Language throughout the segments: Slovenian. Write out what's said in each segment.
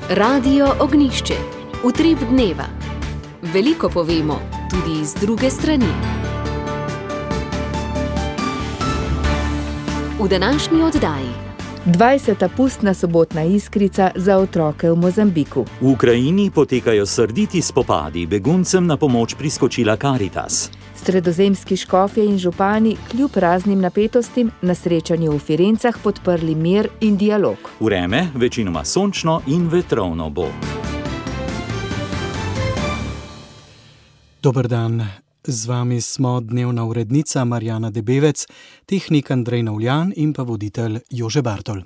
Radio Ognjišče. Utrip dneva. Veliko povemo, tudi iz druge strani. V današnji oddaji 20. pustna sobotna iskrica za otroke v Mozambiku. V Ukrajini potekajo srditi spopadi, beguncem na pomoč priskočila Karitas. Sredozemski škofje in župani kljub raznim napetostim na srečanju v Firencah podprli mir in dialog. Vreme večinoma sončno in vetrovno bo. Dober dan, z vami smo dnevna urednica Marjana Debevec, tehnik Andrej Navljan in pa voditelj Jože Bartol.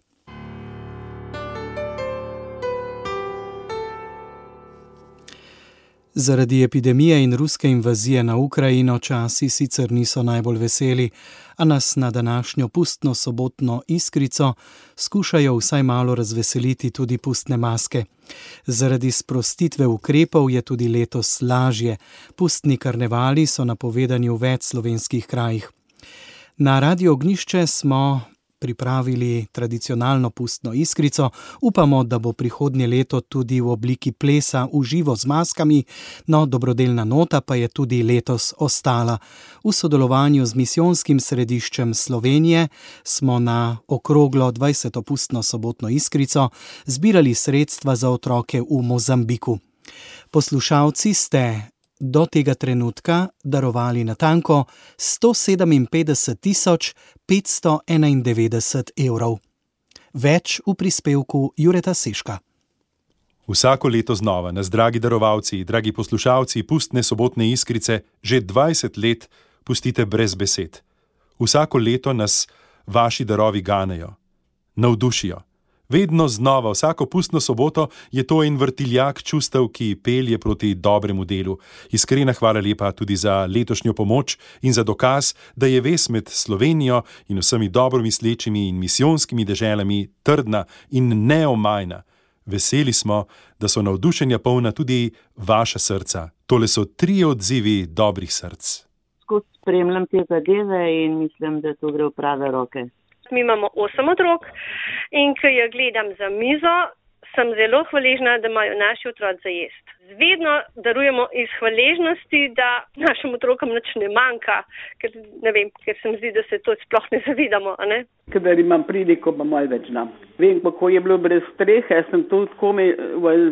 Zaradi epidemije in ruske invazije na Ukrajino časi sicer niso najbolj veseli, a nas na današnjo pustno sobotno iskrico skušajo vsaj malo razveseliti tudi pustne maske. Zaradi sprostitve ukrepov je tudi letos lažje. Pustni karnevali so napovedani v več slovenskih krajih. Na Radio Ognjišče smo pripravili tradicionalno pustno iskrico. Upamo, da bo prihodnje leto tudi v obliki plesa v živo z maskami, no dobrodelna nota pa je tudi letos ostala. V sodelovanju z Misijonskim središčem Slovenije smo na okroglo 20. pustno sobotno iskrico zbirali sredstva za otroke v Mozambiku. Poslušalci ste do tega trenutka darovali natanko 157.591 evrov. Več v prispevku Jureta Seška. Vsako leto znova nas, dragi darovalci, dragi poslušalci pustne sobotne iskrice, že 20 let pustite brez besed. Vsako leto nas vaši darovi ganejo, navdušijo. Vedno znova, vsako pustno soboto je to en vrtiljak čustev, ki pelje proti dobremu delu. Iskrena hvala lepa tudi za letošnjo pomoč in za dokaz, da je vez med Slovenijo in vsemi dobromislečimi in misijonskimi deželami trdna in neomajna. Veseli smo, da so navdušenja polna tudi vaša srca. Tole so 3 odzivi dobrih src. Skozi spremljam te zadeve in mislim, da to gre v prave roke. Mi imamo 8 otrok in ko jo gledam za mizo, sem zelo hvaležna, da imajo naši otroci za jesti. Vedno darujemo iz hvaležnosti, da našim otrokom nič ne manjka, ker se mi zdi, da se to sploh ne zavedamo, a ne? Kadar imam pridiko, pa malo več dam. Vem, kako je bilo brez strehe, sem tudi komaj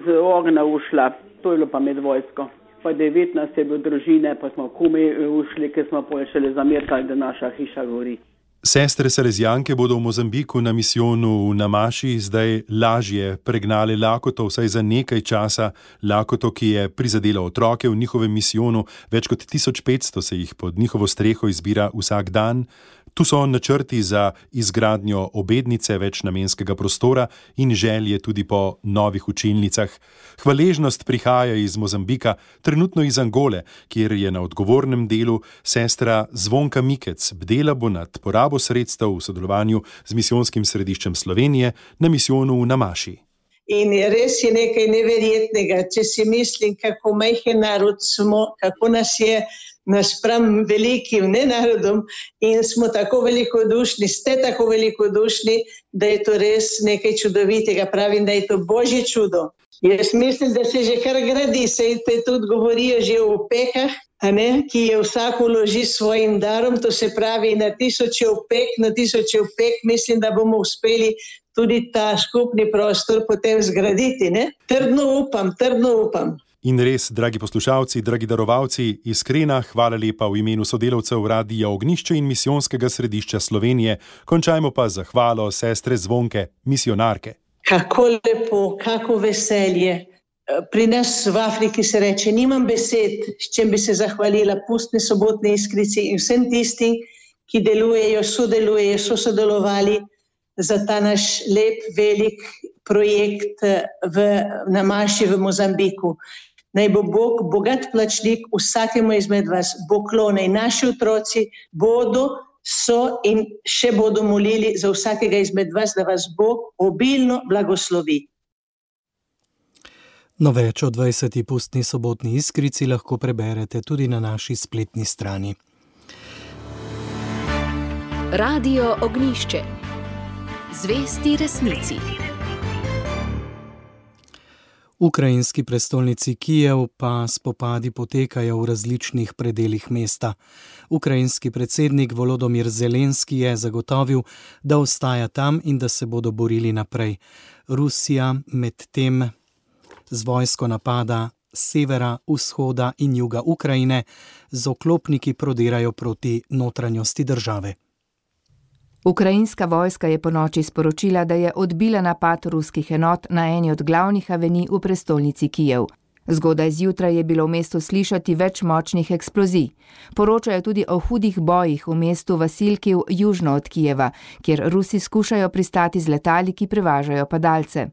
z ognja ušla. To je bilo pa med vojsko. Pa 19 je bilo družine, pa smo komaj ušli, ker smo šele zamerkali, da naša hiša gori. Sestre Salezijanke bodo v Mozambiku na misijonu v Namaši zdaj lažje pregnale lakoto, vsaj za nekaj časa, lakoto, ki je prizadela otroke v njihovem misijonu. Več kot 1500 se jih pod njihovo streho izbira vsak dan. Tu so načrti za izgradnjo obednice, večnamenskega prostora in želje tudi po novih učilnicah. Hvaležnost prihaja iz Mozambika, trenutno iz Angole, kjer je na odgovornem delu sestra Zvonka Mikec. Bdela bo nad porabo sredstev v sodelovanju z Misijonskim središčem Slovenije na misijonu v Namaši. In res je nekaj neverjetnega, če si mislim, kako majhen narod smo, kako nas je naspram velikim nenarodom in smo tako velikodušni, ste tako velikodušni, da je to res nekaj čudovitega. Pravim, da je to božje čudo. Jaz mislim, da se že kar gradi, se tudi govorijo že o opekah, ki je vsak vloži svojim darom, to se pravi na tisoče opek, mislim, da bomo uspeli tudi ta skupni prostor potem zgraditi. Ne? Trdno upam. In res, dragi poslušalci, dragi darovalci, iskrena hvala lepa v imenu sodelavcev Radia Ognjišče in Misijonskega središča Slovenije. Končajmo pa z zahvalo sestre Zvonke, misionarke. Kako lepo, kako veselje. Pri nas v Afriki se reče, nimam besed, s čem bi se zahvalila pustni sobotni iskrici in vsem tistim, ki delujejo, sodelujejo, so sodelovali za ta naš lep, velik projekt v Namaši v Mozambiku. Naj bo Bog bogat plačnik vsakemu izmed vas. Bog klone in naši otroci so in še bodo molili za vsakega izmed vas, da vas Bog obilno blagoslovi. No, več o 20. pustni sobotni iskrici lahko preberete tudi na naši spletni strani. Radio Ognjišče. Zvesti resnici. V ukrajinski prestolnici Kijev pa spopadi potekajo v različnih predelih mesta. Ukrajinski predsednik Volodymyr Zelenski je zagotovil, da ostaja tam in da se bodo borili naprej. Rusija medtem z vojsko napada severa, vzhoda in juga Ukrajine, z oklopniki prodirajo proti notranjosti države. Ukrajinska vojska je ponoči sporočila, da je odbila napad ruskih enot na eni od glavnih avenij v prestolnici Kijev. Zgodaj zjutraj je bilo v mestu slišati več močnih eksplozij. Poročajo tudi o hudih bojih v mestu Vasilkiv južno od Kijeva, kjer Rusi skušajo pristati z letali, ki prevažajo padalce.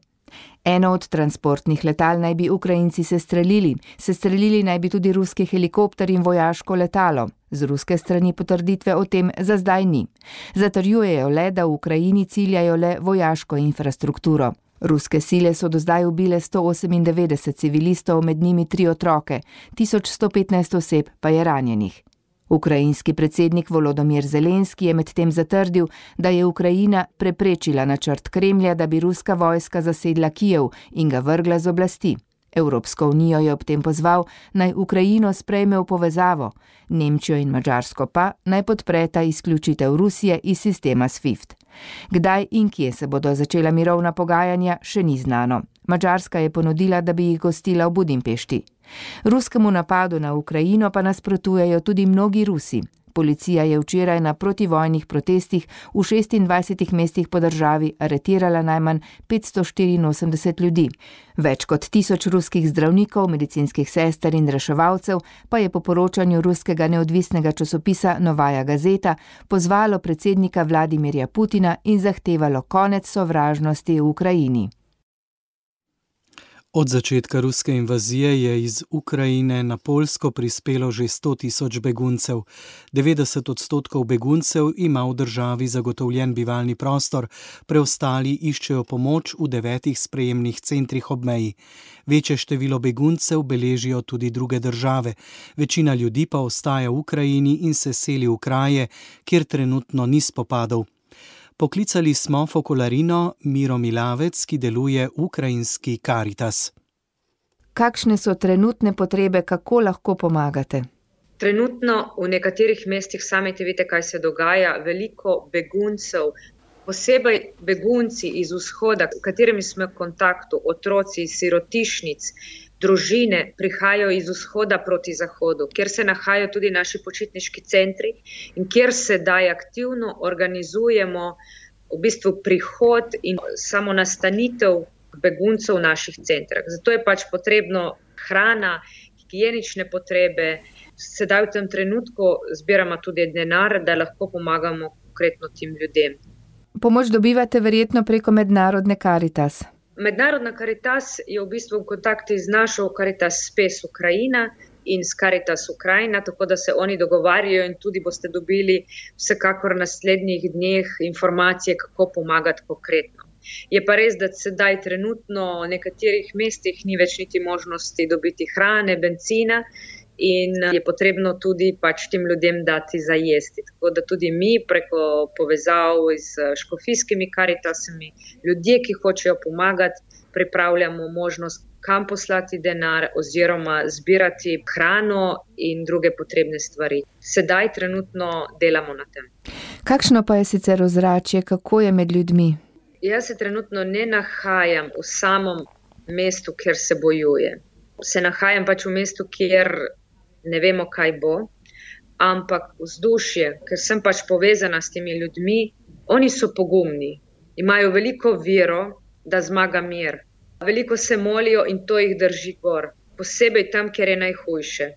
Eno od transportnih letal naj bi Ukrajinci sestrelili naj bi tudi ruski helikopter in vojaško letalo. Z ruske strani potrditve o tem za zdaj ni. Zatrjujejo le, da v Ukrajini ciljajo le vojaško infrastrukturo. Ruske sile so do zdaj ubile 198 civilistov, med njimi 3 otroke, 1115 oseb pa je ranjenih. Ukrajinski predsednik Volodymyr Zelenski je medtem zatrdil, da je Ukrajina preprečila načrt Kremlja, da bi ruska vojska zasedla Kijev in ga vrgla z oblasti. Evropsko unijo je ob tem pozval, naj Ukrajino sprejme v povezavo, Nemčijo in Madžarsko pa naj podpreta izključitev Rusije iz sistema SWIFT. Kdaj in kje se bodo začela mirovna pogajanja, še ni znano. Madžarska je ponudila, da bi jih gostila v Budimpešti. Ruskemu napadu na Ukrajino pa nasprotujejo tudi mnogi Rusi. Policija je včeraj na protivojnih protestih v 26 mestih po državi aretirala najmanj 584 ljudi. Več kot 1000 ruskih zdravnikov, medicinskih sester in reševalcev pa je po poročanju ruskega neodvisnega časopisa Novaja Gazeta pozvalo predsednika Vladimirja Putina in zahtevalo konec sovražnosti v Ukrajini. Od začetka ruske invazije je iz Ukrajine na Poljsko prispelo že 100 000 beguncev. 90% beguncev ima v državi zagotovljen bivalni prostor, preostali iščejo pomoč v 9 sprejemnih centrih ob meji. Večje število beguncev beležijo tudi druge države. Večina ljudi pa ostaja v Ukrajini in se seli v kraje, kjer trenutno ni spopadov. Poklicali smo Fokolarino Miro Milavec, ki deluje v ukrajinski Karitas. Kakšne so trenutne potrebe, kako lahko pomagate? Trenutno v nekaterih mestih, sami te vidite, kaj se dogaja, veliko beguncev, posebej begunci iz vzhoda, s katerimi smo v kontaktu, otroci iz sirotišnic, družine prihajajo iz vzhoda proti zahodu, kjer se nahajajo tudi naši počitniški centri in kjer sedaj aktivno organizujemo v bistvu prihod in samo nastanitev beguncev v naših centrah. Zato je pač potrebno hrana, higienične potrebe. Sedaj v tem trenutku zbiramo tudi denar, da lahko pomagamo konkretno tem ljudem. Pomoč dobivate verjetno preko mednarodne Karitas. Mednarodna Karitas je v bistvu v kontaktu z našo Karitas Space Ukrajina in s Karitas Ukrajina, tako da se oni dogovarjajo in tudi boste dobili vsekakor v naslednjih dneh informacije, kako pomagati konkretno. Je pa res, da sedaj trenutno v nekaterih mestih ni več niti možnosti dobiti hrane, bencina in je potrebno tudi pač tem ljudem dati za jesti. Tako da tudi mi preko povezav z škofijskimi Karitasami, ljudje, ki hočejo pomagati, pripravljamo možnost, kam poslati denar oziroma zbirati hrano in druge potrebne stvari. Sedaj trenutno delamo na tem. Kakšno pa je sicer ozračje, kako je med ljudmi? Jaz se trenutno ne nahajam v samem mestu, kjer se bojuje. Se nahajam pač v mestu, kjer ne vemo, kaj bo, ampak vzdušje, ker sem pač povezana s temi ljudmi, oni so pogumni, imajo veliko vero, da zmaga mir. Veliko se molijo in to jih drži gor, posebej tam, kjer je najhujše.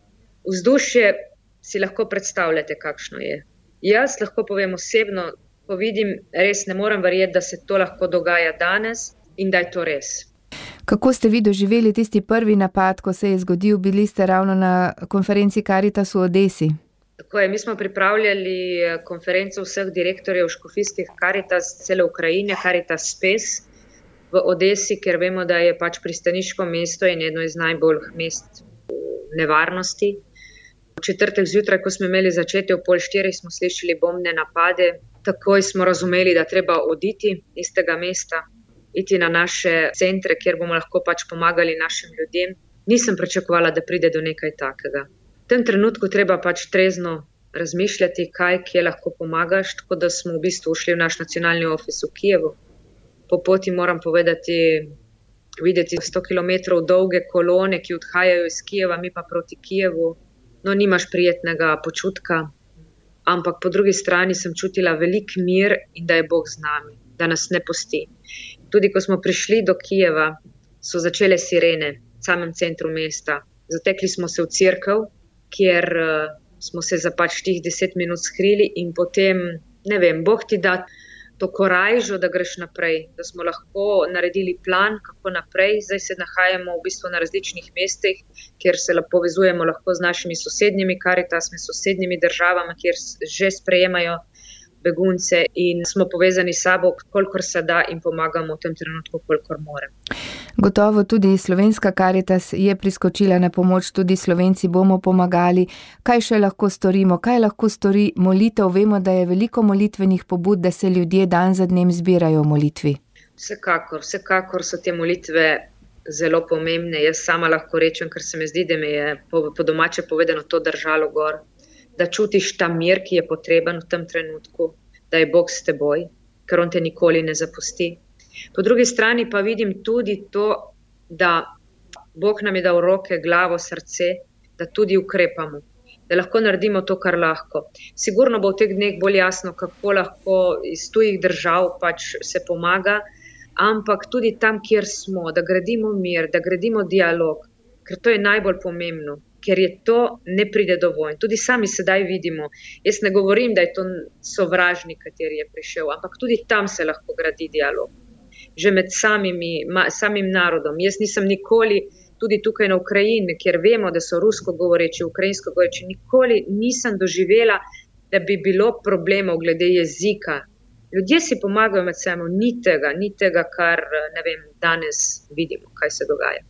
Vzdušje si lahko predstavljate, kakšno je. Jaz lahko povem osebno, ko vidim, res ne morem verjeti, da se to lahko dogaja danes in da je to res. Kako ste vi doživeli tisti prvi napad, ko se je zgodil? Bili ste ravno na konferenci Karitas v Odesi. Tako je, mi smo pripravljali konferenco vseh direktorjev škofijskih Karitas cele Ukrajine, Karitas Space v Odesi, ker vemo, da je pač pristaniško mesto in eno iz najbolj mest v nevarnosti. V četrtek zjutraj, ko smo imeli začetje ob 3:30, smo slišali bombne napade. Takoj smo razumeli, da treba oditi iz tega mesta. iti na naše centre, kjer bomo lahko pač pomagali našim ljudem. Nisem pričakovala, da pride do nekaj takega. V tem trenutku treba pač trezno razmišljati, kje lahko pomagaš, tako da smo v bistvu šli v naš nacionalni ofis v Kijevu. Po poti moram povedati, videti 100 km dolge kolone, ki odhajajo iz Kijeva, mi pa proti Kijevu. No, nimaš prijetnega počutka, ampak po drugi strani sem čutila velik mir in da je Bog z nami, da nas ne pusti. Tudi ko smo prišli do Kijeva, so začele sirene v samem centru mesta. Zatekli smo se v cerkev, kjer smo se za pač tih 10 minut skrili in potem, ne vem, Bog ti da to korajžo, da greš naprej, da smo lahko naredili plan, kako naprej. Zdaj se nahajamo v bistvu na različnih mestih, kjer se povezujemo lahko z našimi sosednjimi Karitasmi, sosednjimi državami, kjer že sprejemajo begunce in smo povezani s sabo, kolikor se da in pomagamo v tem trenutku, kolikor more. Gotovo tudi slovenska Karitas je priskočila na pomoč, tudi Slovenci bomo pomagali. Kaj še lahko storimo? Kaj lahko stori molitev? Vemo, da je veliko molitvenih pobud, da se ljudje dan za dnem zbirajo v molitvi. Vsekakor so te molitve zelo pomembne. Jaz sama lahko rečem, ker se mi zdi, da me je po domače povedano to držalo gor, da čutiš ta mir, ki je potreben v tem trenutku, da je Bog s teboj, ker on te nikoli ne zapusti. Po drugi strani pa vidim tudi to, da Bog nam je dal roke, glavo, srce, da tudi ukrepamo, da lahko naredimo to, kar lahko. Sigurno bo v teh dneh bolj jasno, kako lahko iz tujih držav pač se pomaga, ampak tudi tam, kjer smo, da gradimo mir, da gradimo dialog, ker to je najbolj pomembno, ker je to ne pride do vojn. Tudi sami sedaj vidimo, jaz ne govorim, da je to sovražnik, kateri je prišel, ampak tudi tam se lahko gradi dialog. Že med samim narodom. Jaz nisem nikoli, tudi tukaj na Ukrajini, kjer vemo, da so rusko govoreči, ukrajinsko govoreči, nikoli nisem doživela, da bi bilo problemov glede jezika. Ljudje si pomagajo med seboj, ni tega, kar ne vem, danes vidimo, kaj se dogaja.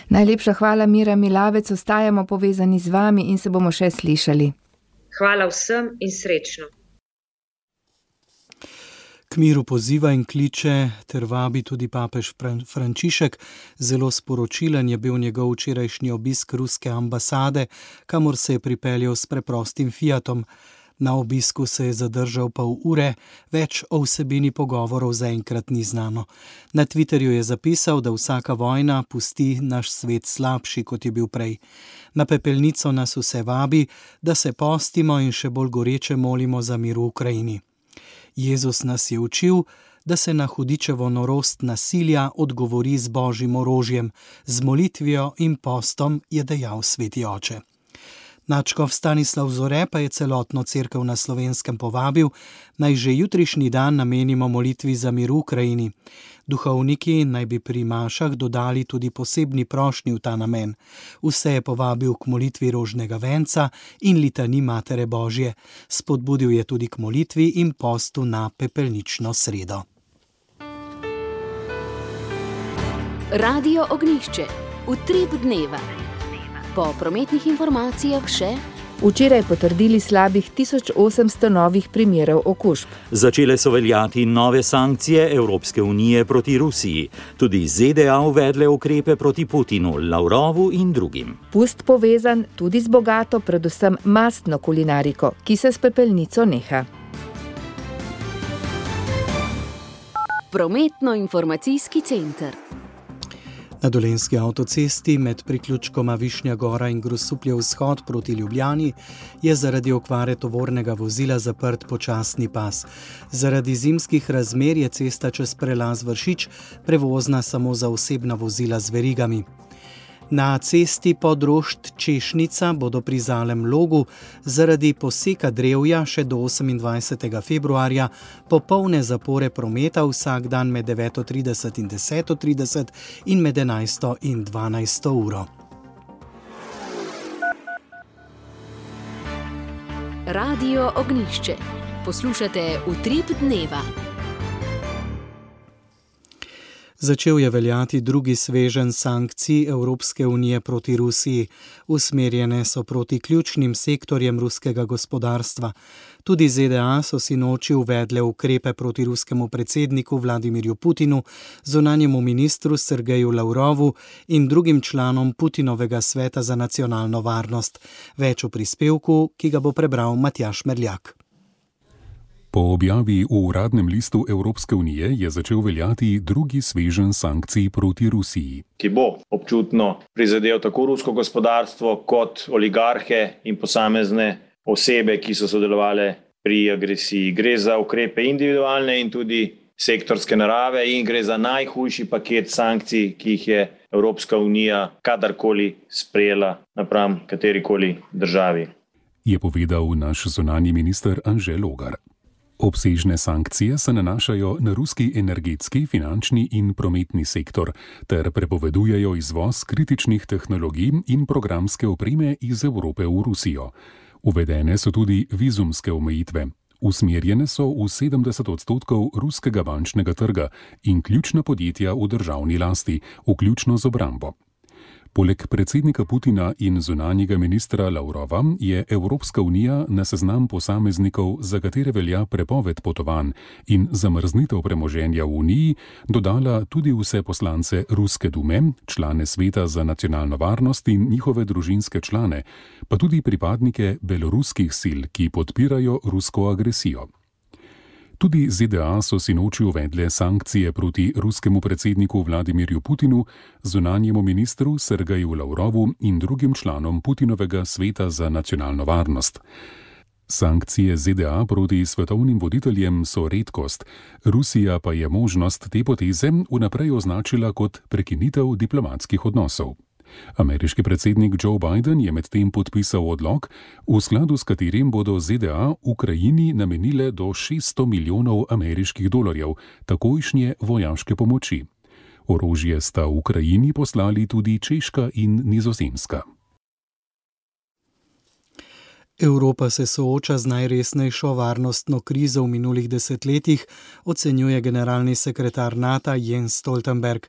Najlepša hvala, Mira Milavec, ostajamo povezani z vami in se bomo še slišali. Hvala vsem in srečno. K miru poziva in kliče ter vabi tudi papež Frančišek. Zelo sporočilen je bil njegov včerajšnji obisk ruske ambasade, kamor se je pripeljal s preprostim Fiatom. Na obisku se je zadržal pol ure, več o vsebini pogovorov zaenkrat ni znano. Na Twitterju je zapisal, da vsaka vojna pusti naš svet slabši, kot je bil prej. Na pepelnico nas vse vabi, da se postimo in še bolj goreče molimo za mir v Ukrajini. Jezus nas je učil, da se na hudičevo norost nasilja odgovori z božjim orožjem, z molitvijo in postom, je dejal sveti oče. Nadškof Stanislav Zore pa je celotno cerkev na Slovenskem povabil, naj že jutrišnji dan namenimo molitvi za mir v Ukrajini. Duhovniki naj bi pri mašah dodali tudi posebni prošnji v ta namen. Vse je povabil k molitvi rožnega venca in litani Matere Božje. Spodbudil je tudi k molitvi in postu na pepelnično sredo. Radio Ognjišče, utrip dneva. Po prometnih informacijah še včeraj potrdili slabih 1800 novih primerov okužb. Začele so veljati nove sankcije Evropske unije proti Rusiji. Tudi ZDA uvedle ukrepe proti Putinu, Lavrovu in drugim. Pust povezan tudi z bogato, predvsem mastno kulinariko, ki se s pepelnico neha. Prometno-informacijski center. Na Dolenjski avtocesti med priključkoma Višnja Gora in Grosuplje vzhod proti Ljubljani je zaradi okvare tovornega vozila zaprt počasni pas. Zaradi zimskih razmer je cesta čez prelaz Vršič prevozna samo za osebna vozila z verigami. Na cesti Podrošt-Češnica bodo pri Zalem Logu zaradi poseka drevja še do 28. februarja popolne zapore prometa vsak dan med 9:30 in 10:30 in med 11. in 12. uro. Radio Ognjišče. Poslušate Utrip dneva. Začel je veljati drugi sveženj sankcij Evropske unije proti Rusiji. Usmerjene so proti ključnim sektorjem ruskega gospodarstva. Tudi ZDA so sinoči uvedle ukrepe proti ruskemu predsedniku Vladimirju Putinu, zunanjemu ministru Sergeju Lavrovu in drugim članom Putinovega sveta za nacionalno varnost. Več v prispevku, ki ga bo prebral Matjaž Merljak. Po objavi v uradnem listu Evropske unije je začel veljati drugi sveženj sankcij proti Rusiji, ki bo občutno prizadel tako rusko gospodarstvo kot oligarhe in posamezne osebe, ki so sodelovale pri agresiji. Gre za ukrepe individualne in tudi sektorske narave in gre za najhujši paket sankcij, ki jih je Evropska unija kadarkoli sprejela napram katerikoli državi, je povedal naš zunanji minister Anže Logar. Obsežne sankcije se nanašajo na ruski energetski, finančni in prometni sektor ter prepovedujejo izvoz kritičnih tehnologij in programske opreme iz Evrope v Rusijo. Uvedene so tudi vizumske omejitve. Usmerjene so v 70% ruskega bančnega trga in ključna podjetja v državni lasti, vključno z obrambo. Poleg predsednika Putina in zunanjega ministra Lavrova je Evropska unija na seznam posameznikov, za katere velja prepoved potovanj in zamrznitev premoženja v Uniji, dodala tudi vse poslance Ruske dume, člane Sveta za nacionalno varnost in njihove družinske člane, pa tudi pripadnike beloruskih sil, ki podpirajo rusko agresijo. Tudi ZDA so sinoči uvedle sankcije proti ruskemu predsedniku Vladimirju Putinu, zunanjemu ministru Sergeju Lavrovu in drugim članom Putinovega sveta za nacionalno varnost. Sankcije ZDA proti svetovnim voditeljem so redkost, Rusija pa je možnost te poteze vnaprej označila kot prekinitev diplomatskih odnosov. Ameriški predsednik Joe Biden je medtem podpisal odlok, v skladu s katerim bodo ZDA Ukrajini namenile do $600 milijonov ameriških dolarjev takojšnje vojaške pomoči. Orožje sta Ukrajini poslali tudi Češka in Nizozemska. Evropa se sooča z najresnejšo varnostno krizo v minulih desetletjih, ocenjuje generalni sekretar NATO Jens Stoltenberg.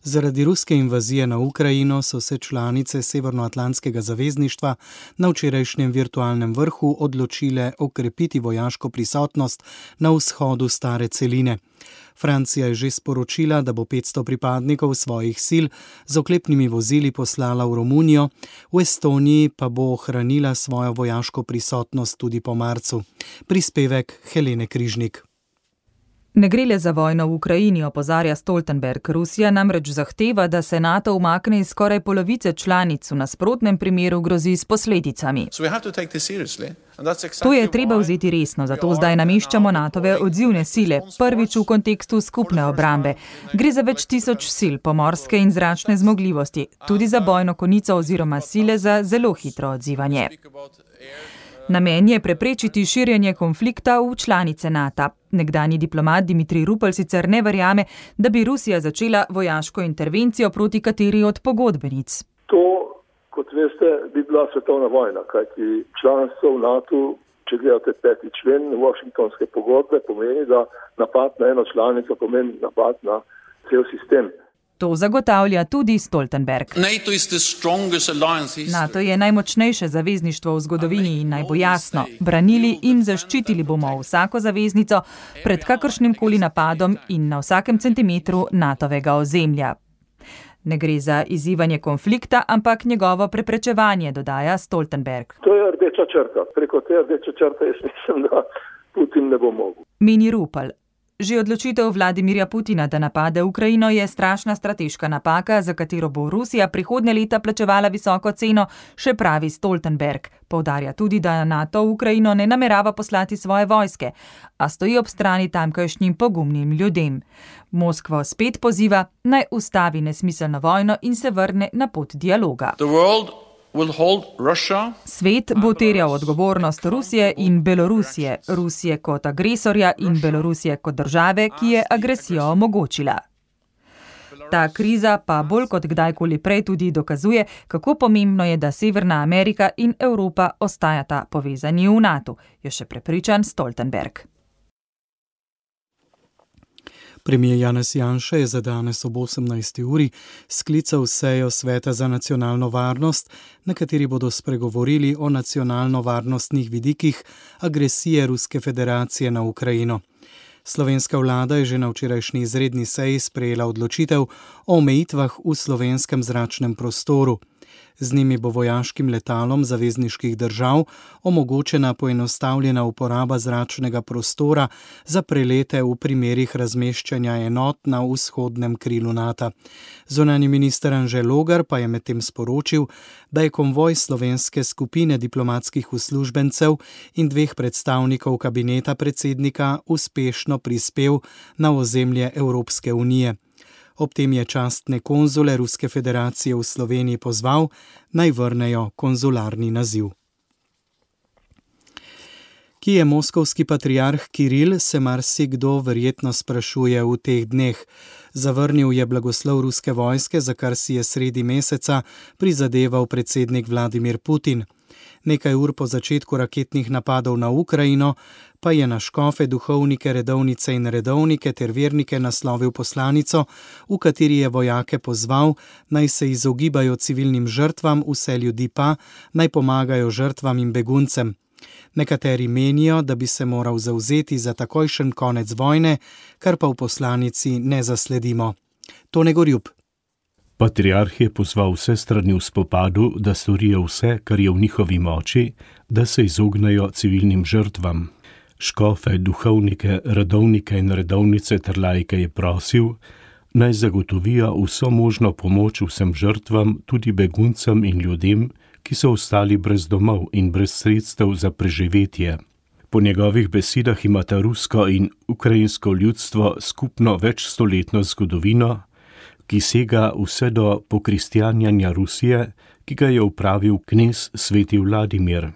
Zaradi ruske invazije na Ukrajino so se članice Severnoatlantskega zavezništva na včerajšnjem virtualnem vrhu odločile okrepiti vojaško prisotnost na vzhodu stare celine. Francija je že sporočila, da bo 500 pripadnikov svojih sil z oklepnimi vozili poslala v Romunijo, v Estoniji pa bo ohranila svojo vojaško prisotnost tudi po marcu. Prispevek Helene Križnik. Ne gre le za vojno v Ukrajini, opozarja Stoltenberg. Rusija namreč zahteva, da se NATO umakne iz skoraj polovice članic, v nasprotnem primeru grozi s posledicami. To je treba vzeti resno, zato zdaj nameščamo NATO-ve odzivne sile, prvič v kontekstu skupne obrambe. Gre za več tisoč sil, pomorske in zračne zmogljivosti, tudi za bojno konico oziroma sile za zelo hitro odzivanje. Namen je preprečiti širjenje konflikta v članice NATO. Nekdanji diplomat Dimitrij Rupel sicer ne verjame, da bi Rusija začela vojaško intervencijo proti kateri od pogodbenic. To, kot veste, bi bila svetovna vojna, kajti članstvo v NATO, če gledate 5. člen Washingtonske pogodbe, pomeni, da napad na eno članico pomeni napad na cel sistem. To zagotavlja tudi Stoltenberg. NATO je najmočnejše zavezništvo v zgodovini in naj bo jasno, branili in zaščitili bomo vsako zaveznico pred kakršnimkoli napadom in na vsakem centimetru NATO-vega ozemlja. Ne gre za izzivanje konflikta, ampak njegovo preprečevanje, dodaja Stoltenberg. To je rdeča črta. Preko te rdeče črte jaz mislim, da Putin ne bo mogel. Meni Rupel. Že odločitev Vladimirja Putina, da napade Ukrajino, je strašna strateška napaka, za katero bo Rusija prihodnje leta plačevala visoko ceno, še pravi Stoltenberg. Poudarja tudi, da NATO v Ukrajino ne namerava poslati svoje vojske, a stoji ob strani tamkajšnjim pogumnim ljudem. Moskva spet poziva, naj ustavi nesmiselno vojno in se vrne na pot dialoga. Svet bo terjal odgovornost Rusije in Belorusije, Rusije kot agresorja in Belorusije kot države, ki je agresijo omogočila. Ta kriza pa bolj kot kdajkoli prej tudi dokazuje, kako pomembno je, da Severna Amerika in Evropa ostajata povezani v NATO, je še prepričan Stoltenberg. Premijer Janez Janša je za danes ob 18. uri sklical sejo Sveta za nacionalno varnost, na kateri bodo spregovorili o nacionalno-varnostnih vidikih agresije Ruske federacije na Ukrajino. Slovenska vlada je že na včerajšnji izredni seji sprejela odločitev o omejitvah v slovenskem zračnem prostoru. Z njimi bo vojaškim letalom zavezniških držav omogočena poenostavljena uporaba zračnega prostora za prelete v primerih razmeščanja enot na vzhodnem krilu NATO. Zunanji minister Anže Logar pa je medtem sporočil, da je konvoj slovenske skupine diplomatskih uslužbencev in 2 predstavnikov kabineta predsednika uspešno prispel na ozemlje Evropske unije. Ob tem je častne konzule Ruske federacije v Sloveniji pozval, naj vrnejo konzularni naziv. Ki je moskovski patriarh Kiril, se marsikdo verjetno sprašuje v teh dneh. Zavrnil je blagoslov ruske vojske, za kar si je sredi meseca prizadeval predsednik Vladimir Putin. Nekaj ur po začetku raketnih napadov na Ukrajino pa je na škofe, duhovnike, redovnice in redovnike ter vernike naslovil poslanico, v kateri je vojake pozval, naj se izogibajo civilnim žrtvam, vse ljudi pa naj pomagajo žrtvam in beguncem. Nekateri menijo, da bi se moral zavzeti za takojšen konec vojne, kar pa v poslanici ne zasledimo. Tone Gorjub. Patriarh je pozval vse strani v spopadu, da storijo vse, kar je v njihovi moči, da se izognejo civilnim žrtvam. Škofe, duhovnike, redovnike in redovnice ter laike je prosil, naj zagotovijo vso možno pomoč vsem žrtvam, tudi beguncem in ljudem, ki so ostali brez domov in brez sredstev za preživetje. Po njegovih besedah imata rusko in ukrajinsko ljudstvo skupno večstoletno zgodovino, ki sega vse do pokristjanjanja Rusije, ki ga je upravil knez sveti Vladimir.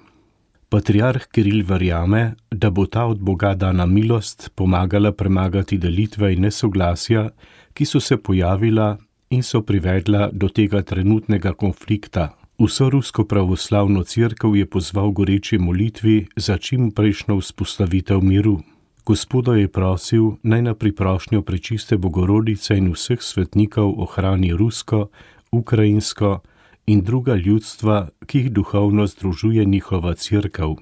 Patriarh Kiril verjame, da bo ta od Boga dana milost pomagala premagati delitve in nesoglasja, ki so se pojavila in so privedla do tega trenutnega konflikta. Vso rusko pravoslavno cerkev je pozval goreči molitvi za čim prejšnjo vzpostavitev miru. Gospoda je prosil, naj na priprošnjo Prečiste Bogorodice in vseh svetnikov ohrani rusko, ukrajinsko in druga ljudstva, ki jih duhovno združuje njihova cerkev.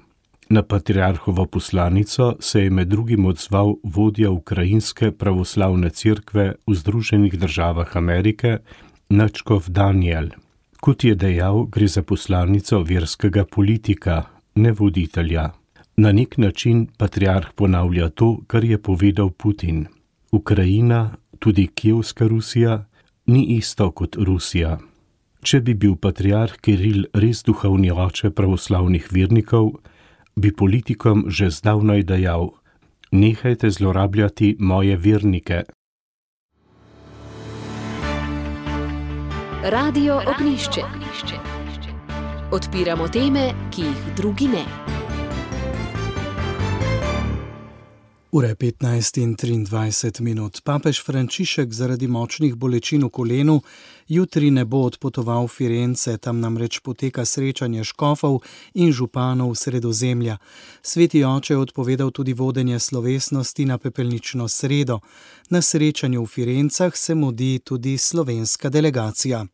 Na patriarhovo poslanico se je med drugim odzval vodja ukrajinske pravoslavne cerkve v Združenih državah Amerike, nadškof Daniel. Kot je dejal, gre za poslanico verskega politika, ne voditelja. Na nek način patriarh ponavlja to, kar je povedal Putin. Ukrajina, tudi Kijevska Rusija, ni isto kot Rusija. Če bi bil patriarh Kiril res duhovni oče pravoslavnih vernikov, bi politikom že zdavnaj dejal: nehajte zlorabljati moje vernike. Radio Ognjišče. Odpiramo teme, ki jih drugi ne. Ura je 15:23. Papež Frančišek zaradi močnih bolečin v kolenu jutri ne bo odpotoval v Firence, tam namreč poteka srečanje škofov in županov Sredozemlja. Sveti oče je odpovedal tudi vodenje slovesnosti na pepelnično sredo. Na srečanju v Firencah se mudi tudi slovenska delegacija.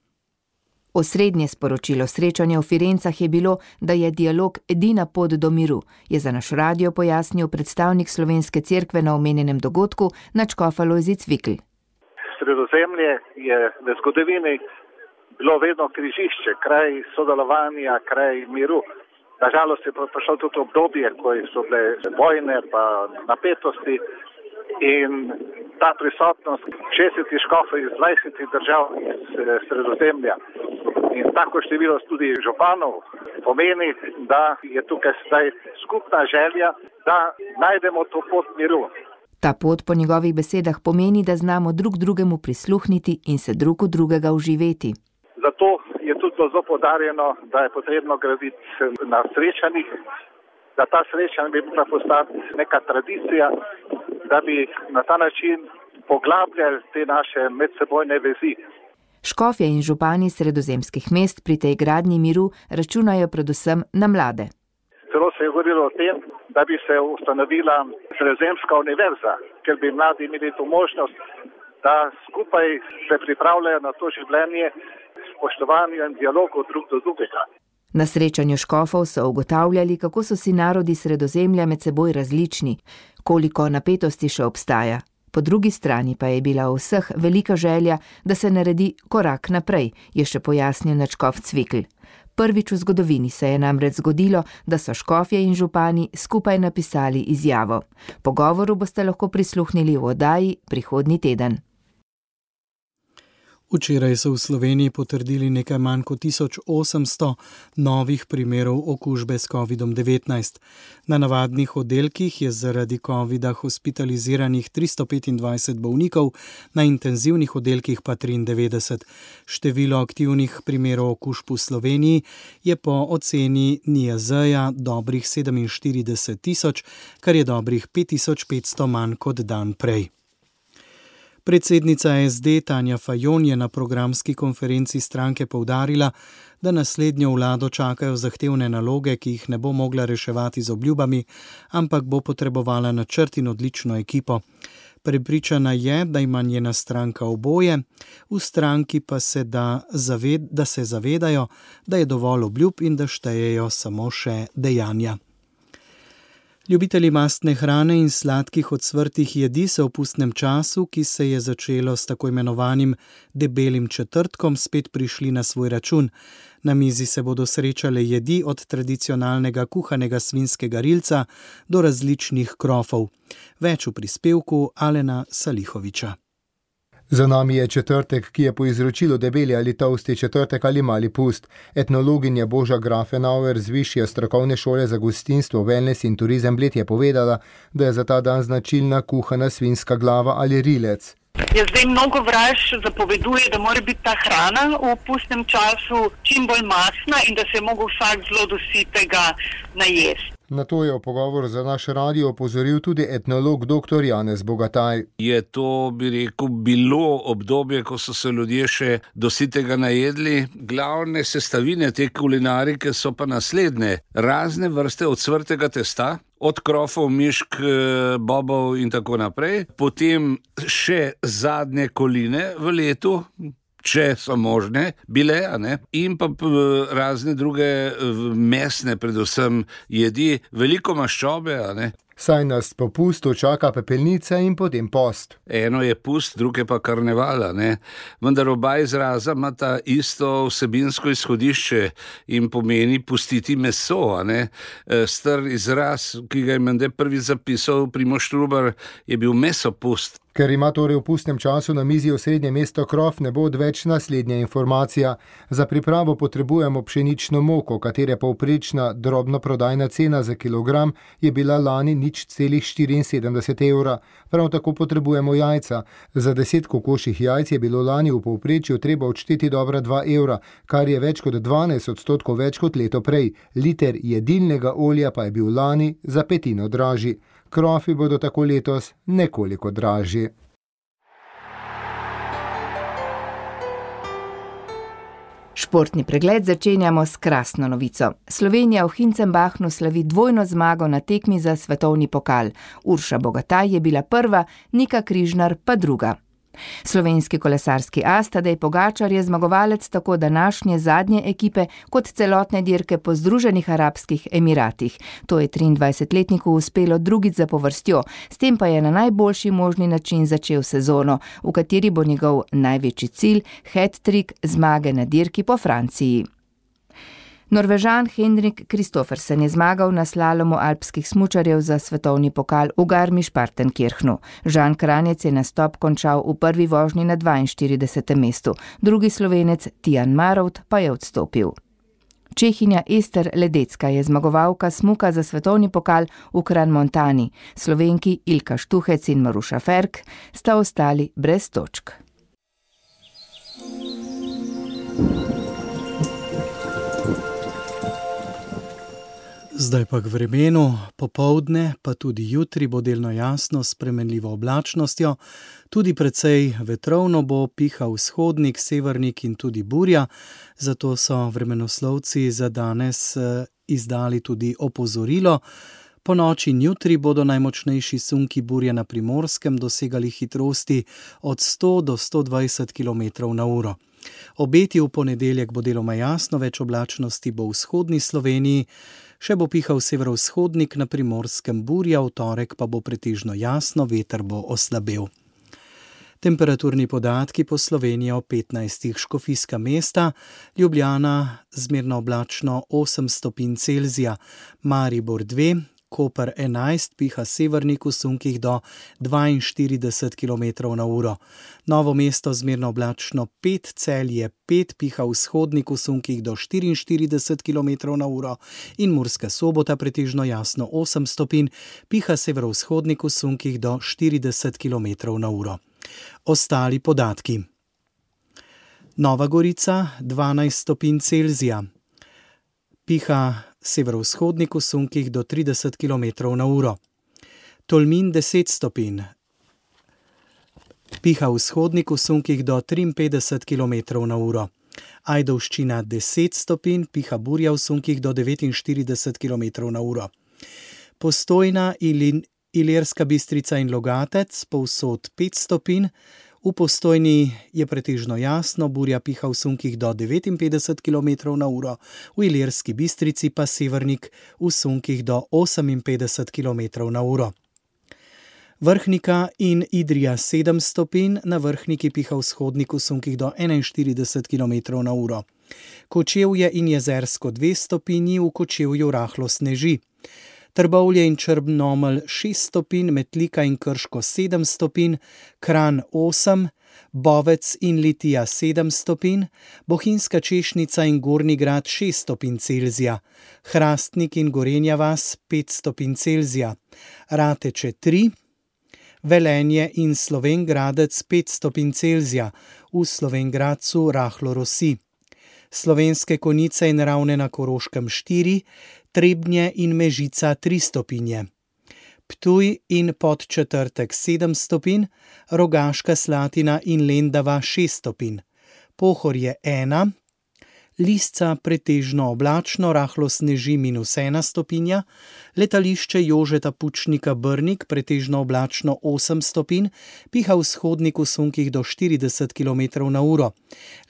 Osrednje sporočilo srečanja v Firencah je bilo, da je dialog edina pot do miru, je za naš radio pojasnil predstavnik slovenske cerkve na omenjenem dogodku, nadškof Alojzij Cvikl. Sredozemlje je v zgodovini bilo vedno križišče, kraj sodelovanja, kraj miru. Nažalost je prišlo tudi obdobje, ko so bile vojne pa napetosti in ta prisotnost 60 škofov iz 20 držav iz Sredozemlja in tako število tudi županov pomeni, da je tukaj zdaj skupna želja, da najdemo to pot miru. Ta pot po njegovih besedah pomeni, da znamo drug drugemu prisluhniti in se drug v drugega uživeti. Zato je tudi zelo poudarjeno, da je potrebno graditi na srečanjih, da ta srečanja bi mogla postati neka tradicija, da bi na ta način poglabljali te naše medsebojne vezi. Škofje in župani sredozemskih mest pri tej gradnji miru računajo predvsem na mlade. V Celo se je govorilo o tem, da bi se ustanovila Sredozemska univerza, ker bi mladi imeli to možnost, da skupaj se pripravljajo na to življenje, spoštovanju in dialogu drug do drugega. Na srečanju škofov so ugotavljali, kako so si narodi Sredozemlja med seboj različni, koliko napetosti še obstaja. Po drugi strani pa je bila v vseh velika želja, da se naredi korak naprej, je še pojasnil nadškof Cvikl. Prvič v zgodovini se je namreč zgodilo, da so škofje in župani skupaj napisali izjavo. Pogovoru boste lahko prisluhnili v oddaji prihodnji teden. Včeraj so v Sloveniji potrdili nekaj manj kot 1800 novih primerov okužbe s COVID-19. Na navadnih oddelkih je zaradi COVID-a hospitaliziranih 325 bolnikov, na intenzivnih oddelkih pa 93. Število aktivnih primerov okužb v Sloveniji je po oceni NIJZ-ja dobrih 47 tisoč, kar je dobrih 5500 manj kot dan prej. Predsednica SD Tanja Fajon je na programski konferenci stranke poudarila, da naslednjo vlado čakajo zahtevne naloge, ki jih ne bo mogla reševati z obljubami, ampak bo potrebovala načrt in odlično ekipo. Prepričana je, da ima njena stranka oboje, v stranki pa se zavedajo, da je dovolj obljub in da štejejo samo še dejanja. Ljubitelji mastne hrane in sladkih ocvrtih jedi se v pustnem času, ki se je začelo s tako imenovanim debelim četrtkom, spet prišli na svoj račun. Na mizi se bodo srečale jedi od tradicionalnega kuhanega svinjskega rilca do različnih krofov. Več v prispevku Alena Salihoviča. Za nami je četrtek, ki je po izročilu debeli ali tolsti četrtek ali mali pust. Etnologinja Boža Grafenauer z Višje strokovne šole za gostinstvo, wellness in turizem Bled je povedala, da je za ta dan značilna kuhana svinjska glava ali rilec. Zdaj mnogo vraž zapoveduje, da mora biti ta hrana v pustnem času čim bolj mastna in da se je mogel vsak zelo do sitega najesti. Na to je v pogovoru za naš radio opozoril tudi etnolog dr. Janez Bogataj. Je to, bi rekel, bilo obdobje, ko so se ljudje še do sitega najedli. Glavne sestavine te kulinarike so pa naslednje. Razne vrste ocvrtega testa, od krofov, mišk, bobov in tako naprej. Potem še zadnje koline v letu, če so možne, bile, in pa razne druge mesne, predvsem jedi, veliko maščobe, Saj nas po pustu čaka pepelnica in potem post. Eno je pust, druge pa karneval, vendar oba izraza imata isto vsebinsko izhodišče in pomeni pustiti meso, Star izraz, ki ga je menda prvi zapisal Primož Trubar, je bil mesopust. Ker ima torej v pustnem času na mizi osrednje mesto krof, ne bo odveč naslednja informacija. Za pripravo potrebujemo pšenično moko, katere povprečna drobnoprodajna cena za kilogram je bila lani 0,74 evra. Prav tako potrebujemo jajca. Za 10 kokošjih jajc je bilo lani v povprečju treba odšteti dobra 2 evra, kar je več kot 12% več kot leto prej. Liter jedilnega olja pa je bil lani za petino dražji. Krofi bodo tako letos nekoliko dražji. Športni pregled začenjamo s krasno novico. Slovenija v Hinzenbachnu slavi dvojno zmago na tekmi za svetovni pokal. Urša Bogataj je bila prva, Nika Križnar pa druga. Slovenski kolesarski as Tadej Pogačar je zmagovalec tako današnje zadnje ekipe kot celotne dirke po Združenih arabskih Emiratih. To je 23-letniku uspelo drugič zapovrstjo, s tem pa je na najboljši možni način začel sezono, v kateri bo njegov največji cilj hat-trick zmage na dirki po Franciji. Norvežan Henrik Kristoffersen je zmagal na slalomu alpskih smučarjev za svetovni pokal v Garmisch-Partenkirchnu. Žan Kranjec je nastop končal v prvi vožnji na 42. mestu, drugi Slovenec Tijan Marovt pa je odstopil. Čehinja Ester Ledecka je zmagovalka smuka za svetovni pokal v Kranmontani. Slovenki Ilka Štuhec in Maruša Ferk sta ostali brez točk. Zdaj pa k vremenu, popoldne, pa tudi jutri bo delno jasno s spremenljivo oblačnostjo, tudi precej vetrovno bo, piha vzhodnik, severnik in tudi burja, zato so vremenoslovci za danes izdali tudi opozorilo. Po noči in jutri bodo najmočnejši sunki burje na Primorskem dosegali hitrosti od 100 do 120 km/h. Obeti v ponedeljek bo deloma jasno, več oblačnosti bo v vzhodni Sloveniji, še bo pihal severovzhodnik, na Primorskem burja, v torek pa bo pretežno jasno, veter bo oslabel. Temperaturni podatki po Sloveniji o 15. Škofijska Mesta, Ljubljana zmerno oblačno 8 stopinj Celzija, Maribor 2, Koper 11, piha severnik v sunkih do 42 km/h. Novo Mesto zmerno oblačno 5, Celje 5, piha vzhodnik v sunkih do 44 km/h in Murska Sobota pretežno jasno 8 stopinj, piha severovzhodnik v sunkih do 40 km/h. Ostali podatki. Nova Gorica 12 stopinj Celzija, piha severovzhodnik v sunkih do 30 km/h. Tolmin 10 stopinj, piha vzhodnik v sunkih do 53 km/h. Ajdovščina 10 stopinj, piha burja v sunkih do 49 km/h. Postojna, Ilirska Bistrica in Logatec povsod 5 stopinj, v Postojni je pretežno jasno, burja piha v sunkih do 59 km/h, v Ilirski Bistrici pa severnik v sunkih do 58 km/h. Vrhnika in Idrija 7 stopinj, na Vrhniki piha vzhodnik v sunkih do 41 km/h. Kočevje in Jezersko 2 stopinji, v Kočevju rahlo sneži. Trbovlje in Črnomelj 6 stopinj, Metlika in Krško 7 stopinj, Kranj 8, Bovec in Litija 7 stopinj, Bohinjska Češnica in Gornji Grad 6 stopinj Celzija, Hrastnik in Gorenja vas 5 stopinj Celzija, Rateče 3, Velenje in Slovenj Gradec 5 stopinj Celzija, v Slovenj Gradcu rahlo rosi. Slovenske Konjice in Ravne na Koroškem 4, Trebnje in Mežica 3 stopinje. Ptuj in Podčetrtek 7 stopinj, Rogaška Slatina in Lendava 6 stopinj. Pohorje 1, Lisca pretežno oblačno, rahlo sneži -1 stopinja, letališče Jožeta Pučnika Brnik pretežno oblačno 8 stopinj, piha vzhodnik v sunkih do 40 km/h.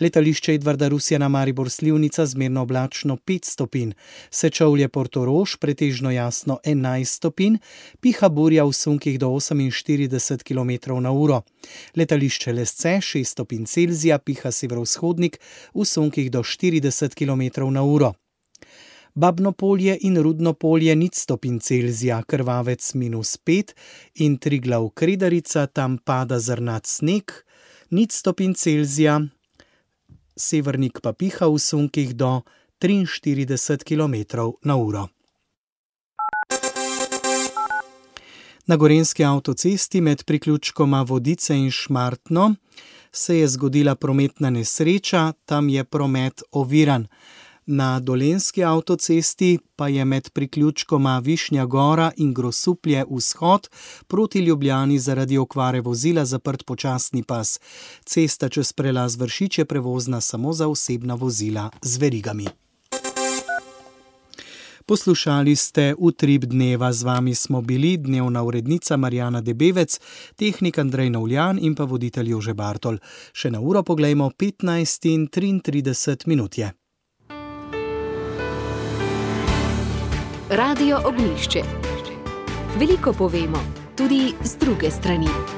Letališče Edvarda Rusjana Maribor Slivnica zmerno oblačno 5 stopinj, Sečovlje Portorož pretežno jasno 11 stopinj, piha burja v sunkih do 48 km/h. Letališče Lesce 6 stopinj Celzija, piha severovzhodnik v sunkih do 40 km/h. Babnopolje in Rudnopolje 0 stopinj Celzija, Krvavec -5 in Triglav Kredarica, tam pada zrnat sneg, 0 stopinj Celzija, severnik pa piha v sunkih do 43 km/h. Na Gorenjski avtocesti med priključkoma Vodice in Šmartno se je zgodila prometna nesreča, tam je promet oviran. Na Dolenjski avtocesti pa je med priključkoma Višnja Gora in Grosuplje vzhod proti Ljubljani zaradi okvare vozila zaprt počasni pas. Cesta čez prelaz Vršič je prevozna samo za osebna vozila z verigami. Poslušali ste Utrip dneva, z vami smo bili dnevna urednica Marjana Debevec, tehnik Andrej Novljan in pa voditelj Jože Bartol. Še na uro poglejmo, 15:33 je. Radio Ognjišče. Veliko povemo, tudi z druge strani.